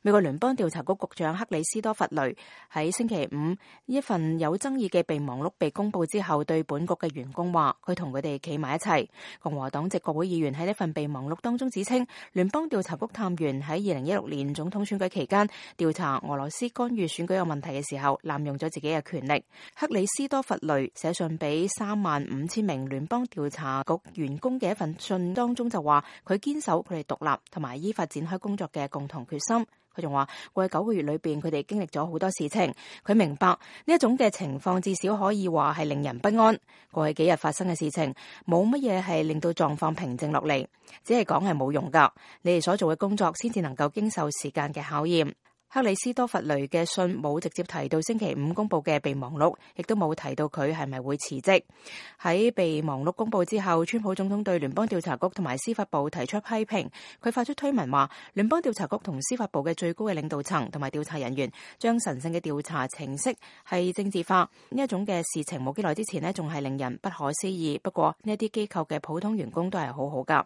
美國聯邦調查局局長克里斯多弗雷喺星期五一份有爭議嘅備忘錄被公布之後，對本局嘅員工話佢同佢哋企埋一齊。共和黨籍國會議員喺呢份備忘錄當中指稱，聯邦調查局探員喺2016年總統選舉期間調查俄羅斯干預選舉有問題嘅時候，濫用咗自己嘅權力。克里斯多弗雷寫信俾35000名聯邦調查局員工嘅一份信當中就話，佢堅守佢哋獨立同埋依法展開工作嘅共同決心。佢仲話過去9個月裏邊，佢哋經歷咗好多事情。佢明白呢一種嘅情況至少可以話係令人不安。過去幾日發生嘅事情，冇乜嘢係令到狀況平靜落嚟，只係講係冇用噶。你哋所做嘅工作先至能夠經受時間嘅考驗。克里斯多弗雷嘅信冇直接提到星期五公布嘅備忘錄，亦都冇提到佢係咪會辭職。喺備忘錄公布之後，川普總統對聯邦調查局同埋司法部提出批評。佢發出推文話，聯邦調查局同司法部嘅最高嘅領導層同埋調查人員將神聖嘅調查程式係政治化。呢一種嘅事情冇幾耐之前呢，仲係令人不可思議。不過呢一啲機構嘅普通員工都係好好噶。